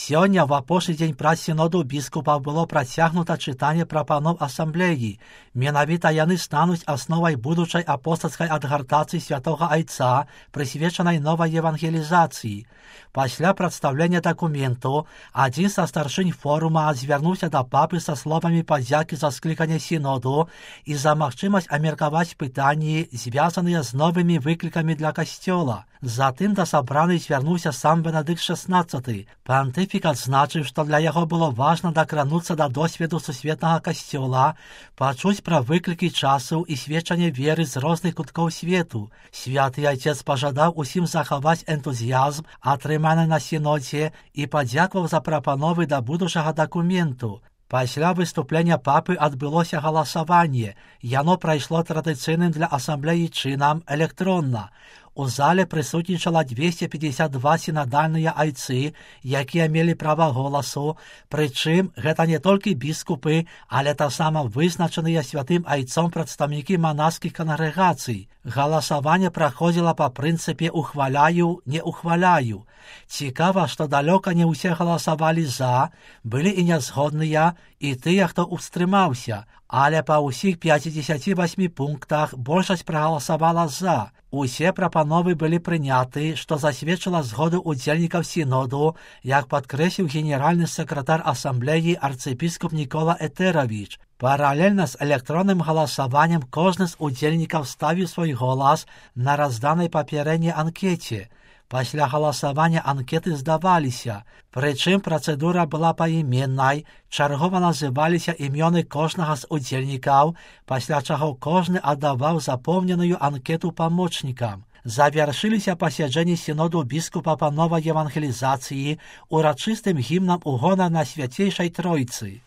Сёння в апошні дзень праз сіноду біскупаў было працягнута чытанне прапаноў асамблеі. Менавіта яны стануць асновай будучай апостальскай адгартацыі святога Айца, прысвечанай новай евангелізацыі. Пасля прадстаўлення дакументу адзін са старшынь форума звярнуўся да папы са словамі падзякі за скліканне сіноду і за магчымасць абмеркаваць пытанні, звязаныя з новымі выклікамі для касцёла. Затым да сабраных звярнуўся сам Бенедыкт XVI. Пантыфік адзначыў, што для яго было важна дакрануцца да досведу сусветнага касцёла, пачуць пра выклікі часу і сведчанне веры з розных куткоў свету. Святы Айцец пажадаў усім захаваць энтузіязм, атрыманы на сінодзе, і падзякаваў за прапановы да будучага дакументу. Пасля выступлення папы адбылося галасаванне. Яно прайшло традыцыйным для асамблеі чынам электронна. У зале прысутнічала 252 сінадальныя айцы, якія мелі права голасу, прычым гэта не толькі біскупы, але таксама вызначаныя святым айцом прадстаўнікі манаскіх кангрэгацый. Галасаванне праходзіла па прынцыпе «ухваляю, не ухваляю». Цікава, што далёка не ўсе галасавалі «за», былі і нязгодныя, і тыя, хто устрымаўся, але па ўсіх 58 пунктах большасць прагаласавала «за». Усе прапановы былі прыняты, што засведчыла згоду удзельнікаў сіноду, як падкрэсліў генеральны сакратар асамблеі арцыепіскоп Нікола Этэравіч. Паралельна з электронным галасаваннем кожны з удзельнікаў ставіў свой голас на разданай папярэдняй анкеце. Пасля галасавання анкеты здаваліся, прычым працэдура была паіменнай, чаргова называліся імёны кожнага з удзельнікаў, пасля чаго кожны аддаваў запоўненую анкету памочнікам. Завяршыліся пасяджэнні сіноду біскупа па новай евангелізацыі урачыстым гімнам у гонар на свяцейшай Тройцы.